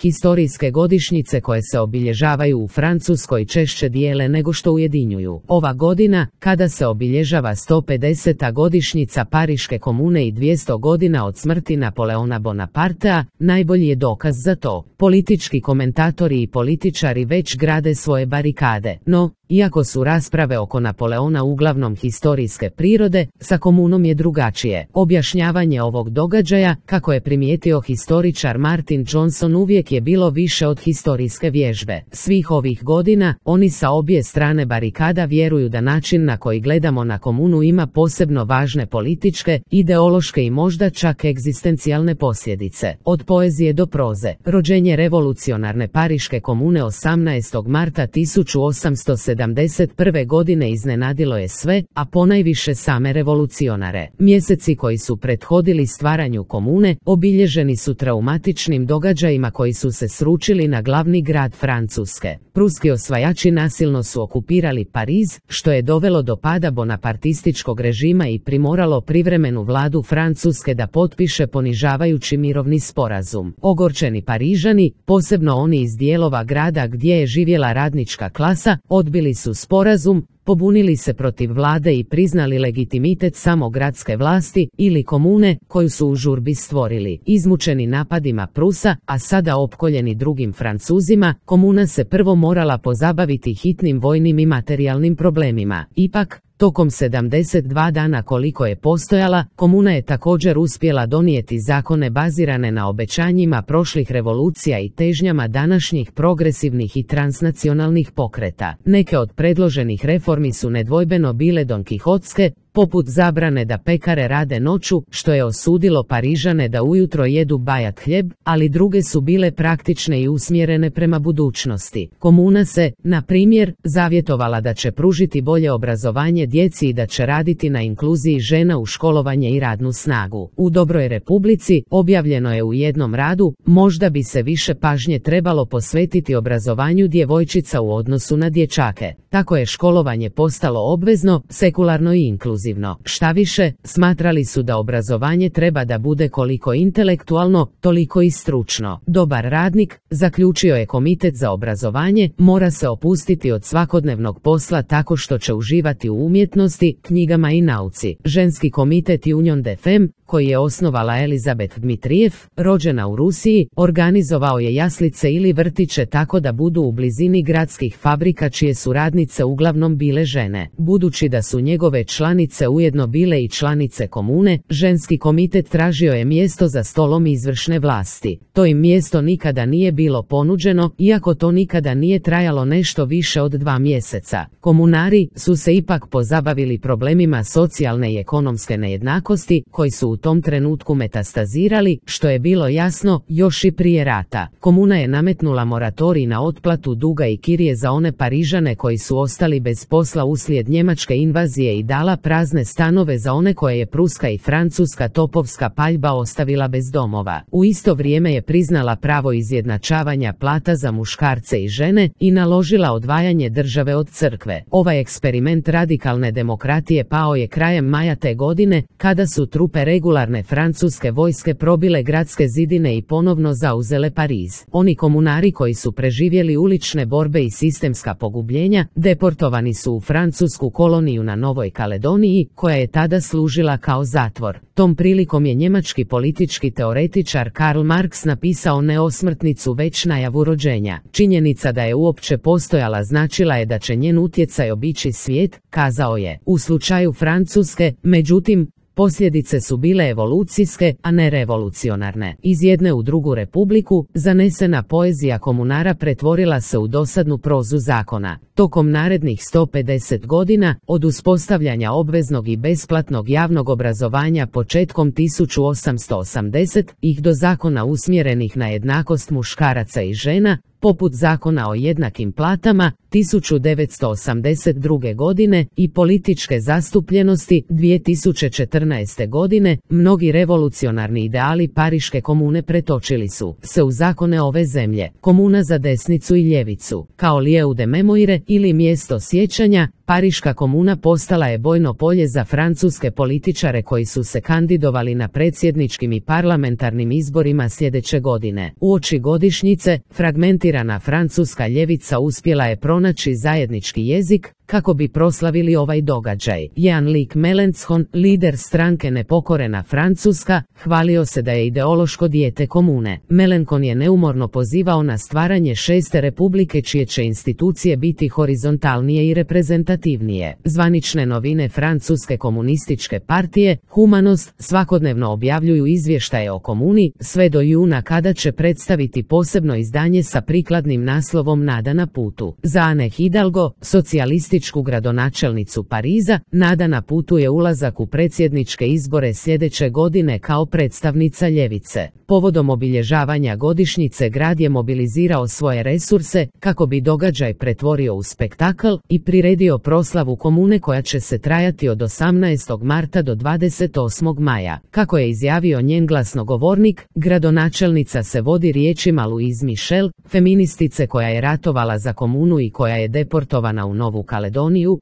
Historijske godišnjice koje se obilježavaju u Francuskoj češće dijele nego što ujedinjuju. Ova godina, kada se obilježava 150. godišnjica Pariške komune i 200 godina od smrti Napoleona Bonapartea, najbolji je dokaz za to. Politički komentatori i političari već grade svoje barikade, no, iako su rasprave oko Napoleona uglavnom historijske prirode, sa komunom je drugačije. Objašnjavanje ovog događaja, kako je primijetio historičar Martin Johnson, uvijek je bilo više od historijske vježbe. Svih ovih godina, oni sa obje strane barikada vjeruju da način na koji gledamo na komunu ima posebno važne političke, ideološke i možda čak egzistencijalne posljedice. Od poezije do proze. Rođenje revolucionarne Pariške komune 18. marta 1871. godine iznenadilo je sve, a ponajviše same revolucionare. Mjeseci koji su prethodili stvaranju komune, obilježeni su traumatičnim događajima koji su se sručili na glavni grad Francuske. Pruski osvajači nasilno su okupirali Pariz, što je dovelo do pada bonapartističkog režima i primoralo privremenu vladu Francuske da potpiše ponižavajući mirovni sporazum. Ogorčeni Parižani, posebno oni iz dijelova grada gdje je živjela radnička klasa, odbili su sporazum, pobunili se protiv vlade i priznali legitimitet samo gradske vlasti ili komune koju su u žurbi stvorili. Izmučeni napadima Prusa, a sada opkoljeni drugim Francuzima, komuna se prvo morala pozabaviti hitnim vojnim i materijalnim problemima. Ipak, tokom 72 dana koliko je postojala, komuna je također uspjela donijeti zakone bazirane na obećanjima prošlih revolucija i težnjama današnjih progresivnih i transnacionalnih pokreta. Neke od predloženih reformi su nedvojbeno bile donkihotske, poput zabrane da pekare rade noću, što je osudilo Parižane da ujutro jedu bajat hljeb, ali druge su bile praktične i usmjerene prema budućnosti. Komuna se, na primjer, zavjetovala da će pružiti bolje obrazovanje djeci i da će raditi na inkluziji žena u školovanje i radnu snagu. U Dobroj Republici, objavljeno je u jednom radu, možda bi se više pažnje trebalo posvetiti obrazovanju djevojčica u odnosu na dječake. Tako je školovanje postalo obvezno, sekularno i inkluzivno. Štaviše, smatrali su da obrazovanje treba da bude koliko intelektualno, toliko i stručno. Dobar radnik, zaključio je Komitet za obrazovanje, mora se opustiti od svakodnevnog posla tako što će uživati u umjetnosti, knjigama i nauci. Ženski komitet Union des Femmes, koji je osnovala Elizabeth Dmitrijev, rođena u Rusiji, organizovao je jaslice ili vrtiće tako da budu u blizini gradskih fabrika čije su radnice uglavnom bile žene. Budući da su njegove članice ujedno bile i članice komune, ženski komitet tražio je mjesto za stolom izvršne vlasti. To im mjesto nikada nije bilo ponuđeno, iako to nikada nije trajalo nešto više od 2 mjeseca. Komunari su se ipak pozabavili problemima socijalne i ekonomske nejednakosti, koji su u tom trenutku metastazirali, što je bilo jasno još i prije rata. Komuna je nametnula moratorij na otplatu duga i kirije za one Parižane koji su ostali bez posla uslijed njemačke invazije i dala prazne stanove za one koje je pruska i francuska topovska paljba ostavila bez domova. U isto vrijeme je priznala pravo izjednačavanja plata za muškarce i žene i naložila odvajanje države od crkve. Ovaj eksperiment radikalne demokratije pao je krajem maja te godine, kada su trupe regularne francuske vojske probile gradske zidine i ponovno zauzele Pariz. Oni komunari koji su preživjeli ulične borbe i sistemska pogubljenja, deportovani su u francusku koloniju na Novoj Kaledoniji, koja je tada služila kao zatvor. Tom prilikom je njemački politički teoretičar Karl Marx napisao ne osmrtnicu već najavu rođenja. Činjenica da je uopće postojala značila je da će njen utjecaj obići svijet, kazao je. U slučaju Francuske, međutim, posljedice su bile evolucijske, a ne revolucionarne. Iz jedne u drugu republiku, zanesena poezija komunara pretvorila se u dosadnu prozu zakona. Tokom narednih 150 godina, od uspostavljanja obveznog i besplatnog javnog obrazovanja početkom 1880 ih do zakona usmjerenih na jednakost muškaraca i žena, poput zakona o jednakim platama 1982. godine i političke zastupljenosti 2014. godine, mnogi revolucionarni ideali Pariške komune pretočili su se u zakone ove zemlje. Komuna za desnicu i ljevicu, kao lieu de mémoire ili mjesto sjećanja, Pariška komuna postala je bojno polje za francuske političare koji su se kandidovali na predsjedničkim i parlamentarnim izborima sljedeće godine. Uoči godišnjice, fragmentirana francuska ljevica uspjela je pronaći zajednički jezik kako bi proslavili ovaj događaj. Jean-Luc Mélenchon, lider stranke Nepokorena Francuska, hvalio se da je ideološko dijete komune. Mélenchon je neumorno pozivao na stvaranje šeste republike čije će institucije biti horizontalnije i reprezentativnije. Zvanične novine Francuske komunističke partije, Humanost, svakodnevno objavljuju izvještaje o komuni, sve do juna kada će predstaviti posebno izdanje sa prikladnim naslovom Nada na putu. Za Anne Hidalgo, socijalističku gradonačelnicu Pariza, nada na putu je ulazak u predsjedničke izbore sljedeće godine kao predstavnica ljevice. Povodom obilježavanja godišnjice grad je mobilizirao svoje resurse kako bi događaj pretvorio u spektakl i priredio proslavu komune koja će se trajati od 18. marta do 28. maja. Kako je izjavio njen glasnogovornik, gradonačelnica se vodi riječima Louise Michel, feministice koja je ratovala za komunu i koja je deportovana u Novu Kaledoniju.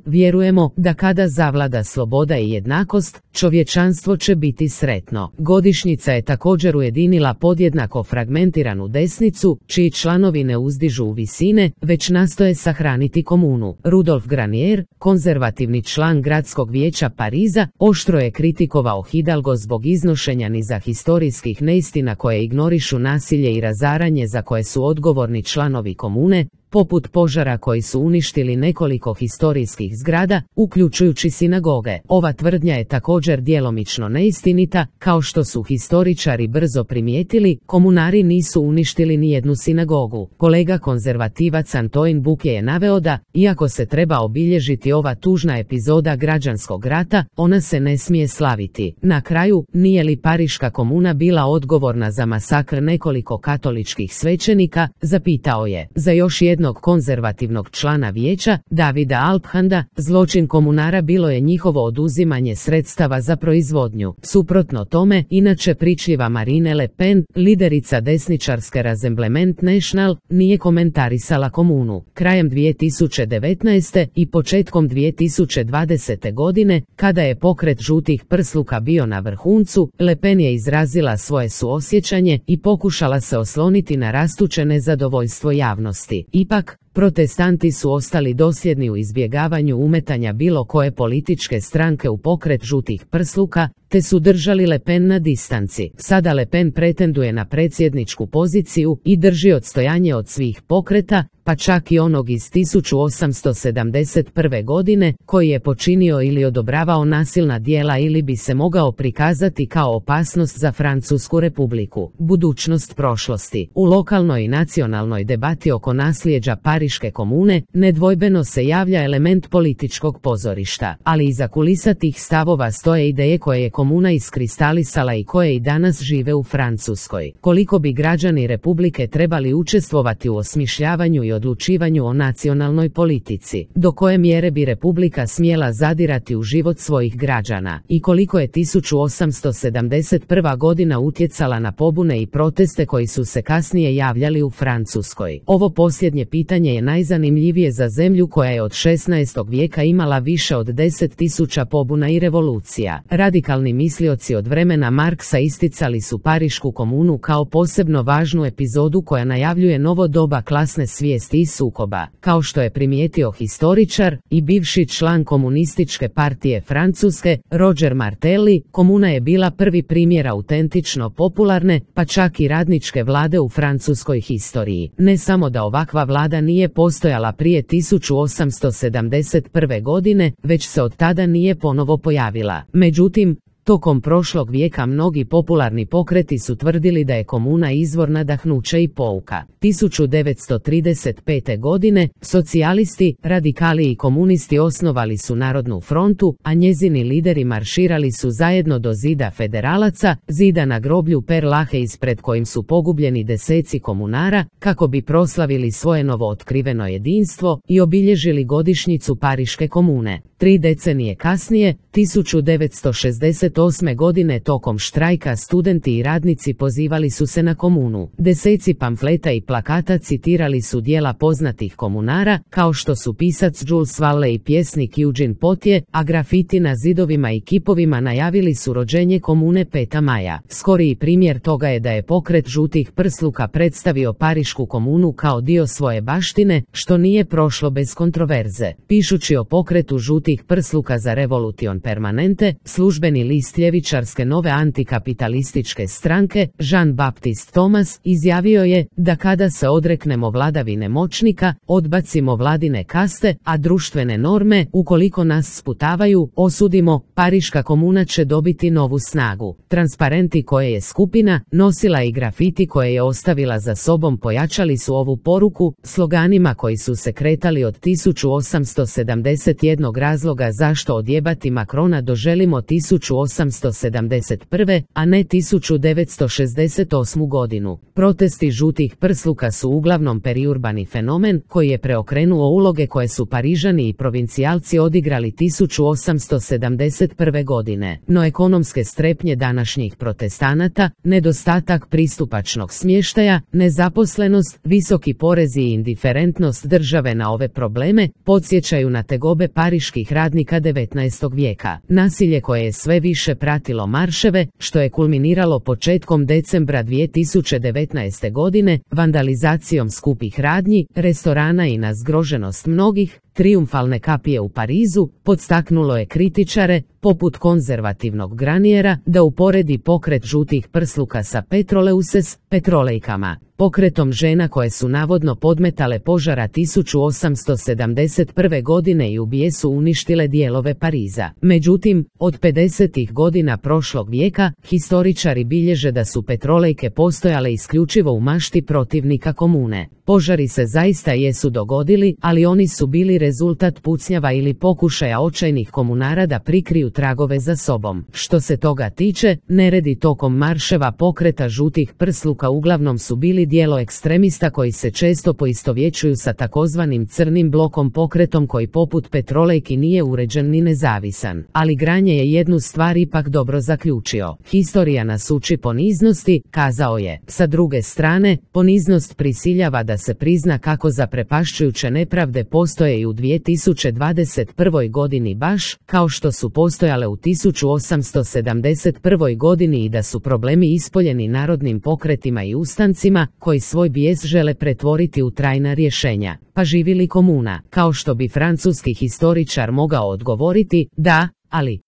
Vjerujemo da kada zavlada sloboda i jednakost, čovječanstvo će biti sretno. Godišnjica je također ujedinila podjednako fragmentiranu desnicu, čiji članovi ne uzdižu u visine, već nastoje sahraniti komunu. Rudolf Granier, konzervativni član gradskog vijeća Pariza, oštro je kritikovao Hidalgo zbog iznošenja niza historijskih neistina koje ignorišu nasilje i razaranje za koje su odgovorni članovi komune, poput požara koji su uništili nekoliko historijskih zgrada, uključujući sinagoge. Ova tvrdnja je također djelomično neistinita, kao što su historičari brzo primijetili, komunari nisu uništili ni jednu sinagogu. Kolega konzervativac Antoine Bouquet je naveo da, iako se treba obilježiti ova tužna epizoda građanskog rata, ona se ne smije slaviti. Na kraju, nije li Pariška komuna bila odgovorna za masakr nekoliko katoličkih svećenika, zapitao je. Za još jednog konzervativnog člana vijeća, Davida Alphanda, zločin komunara bilo je njihovo oduzimanje sredstava za proizvodnju. Suprotno tome, inače pričljiva Marine Le Pen, liderica desničarske Rassemblement National, nije komentarisala komunu. Krajem 2019. i početkom 2020. godine, kada je pokret žutih prsluka bio na vrhuncu, Le Pen je izrazila svoje suosjećanje i pokušala se osloniti na rastuće nezadovoljstvo javnosti. Ipak, protestanti su ostali dosljedni u izbjegavanju umetanja bilo koje političke stranke u pokret žutih prsluka, te su držali Le Pen na distanci. Sada Le Pen pretenduje na predsjedničku poziciju i drži odstojanje od svih pokreta, pa čak i onog iz 1871. godine, koji je počinio ili odobravao nasilna djela ili bi se mogao prikazati kao opasnost za Francusku republiku. Budućnost prošlosti. U lokalnoj i nacionalnoj debati oko nasljeđa Pariške komune, nedvojbeno se javlja element političkog pozorišta, ali iza kulisa tih stavova stoje ideje koje je komuna iskristalisala i koje i danas žive u Francuskoj. Koliko bi građani republike trebali učestvovati u osmišljavanju i odlučivanju o nacionalnoj politici, do koje mjere bi republika smjela zadirati u život svojih građana i koliko je 1871. godina utjecala na pobune i proteste koji su se kasnije javljali u Francuskoj. Ovo posljednje pitanje je najzanimljivije za zemlju koja je od 16. vijeka imala više od 10.000 pobuna i revolucija. Radikalni mislioci od vremena Marksa isticali su Parišku komunu kao posebno važnu epizodu koja najavljuje novo doba klasne svijesti i sukoba. Kao što je primijetio historičar i bivši član komunističke partije Francuske, Roger Martelli, komuna je bila prvi primjer autentično popularne, pa čak i radničke vlade u francuskoj historiji. Ne samo da ovakva vlada nije postojala prije 1871. godine, već se od tada nije ponovo pojavila. Međutim, Tokom prošlog vijeka mnogi popularni pokreti su tvrdili da je komuna izvor nadahnuća i pouka. 1935. godine socijalisti, radikali i komunisti osnovali su Narodnu frontu, a njezini lideri marširali su zajedno do zida federalaca, zida na groblju Perl Lache ispred kojim su pogubljeni deseci komunara, kako bi proslavili svoje novootkriveno jedinstvo i obilježili godišnjicu Pariške komune. 3 decenije kasnije, 1968. godine tokom štrajka studenti i radnici pozivali su se na komunu. Deseci pamfleta i plakata citirali su djela poznatih komunara, kao što su pisac Jules Verne i pjesnik Eugene Potier, a grafiti na zidovima i kipovima najavili su rođenje komune 5. maja. Skoriji primjer toga je da je pokret žutih prsluka predstavio Parišku komunu kao dio svoje baštine, što nije prošlo bez kontroverze. Pišući o pokretu žutih prsluka za Revolution Permanente, službeni list ljevičarske nove antikapitalističke stranke, Jean-Baptiste Thomas, izjavio je da kada se odreknemo vladavine moćnika, odbacimo vladine kaste, a društvene norme, ukoliko nas sputavaju, osudimo, Pariška komuna će dobiti novu snagu. Transparenti koje je skupina nosila i grafiti koje je ostavila za sobom pojačali su ovu poruku, sloganima koji su se kretali od 1871 razloga zašto odjebati Macrona doželimo 1871, a ne 1968. godinu. Protesti žutih prsluka su uglavnom periurbani fenomen koji je preokrenuo uloge koje su Parižani i provincijalci odigrali 1871. godine. No ekonomske strepnje današnjih protestanata, nedostatak pristupačnog smještaja, nezaposlenost, visoki porezi i indiferentnost države na ove probleme podsjećaju na tegobe pariških radnika 19. vijeka. Nasilje koje je sve više pratilo marševe, što je kulminiralo početkom decembra 2019. godine, vandalizacijom skupih radnji, restorana i na zgroženost mnogih, trijumfalne kapije u Parizu, podstaknulo je kritičare, poput konzervativnog Graniera, da uporedi pokret žutih prsluka sa Petroleuses, petrolejkama, pokretom žena koje su navodno podmetale požara 1871. godine i u bijesu uništile dijelove Pariza. Međutim, od 50. godina prošlog vijeka, historičari bilježe da su petrolejke postojale isključivo u mašti protivnika komune. Požari se zaista jesu dogodili, ali oni su bili rezultat pucnjava ili pokušaja očajnih komunara da prikriju tragove za sobom. Što se toga tiče, neredi tokom marševa pokreta žutih prsluka uglavnom su bili djelo ekstremista koji se često poistovjećuju sa takozvanim crnim blokom pokretom koji poput petrolejki nije uređen ni nezavisan. Ali Granje je jednu stvar ipak dobro zaključio. Historija nas uči poniznosti, kazao je. Sa druge strane, poniznost prisiljava da se prizna kako zaprepašćujuće nepravde postoje i u 2021. godini baš, kao što su postojale u 1871. godini i da su problemi ispoljeni narodnim pokretima i ustancima, koji svoj bijes žele pretvoriti u trajna rješenja. Pa živi li komuna? Kao što bi francuski historičar mogao odgovoriti, da, ali...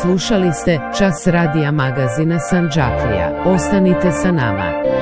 Slušali ste Čas radija magazina Sandžaklija. Ostanite sa nama.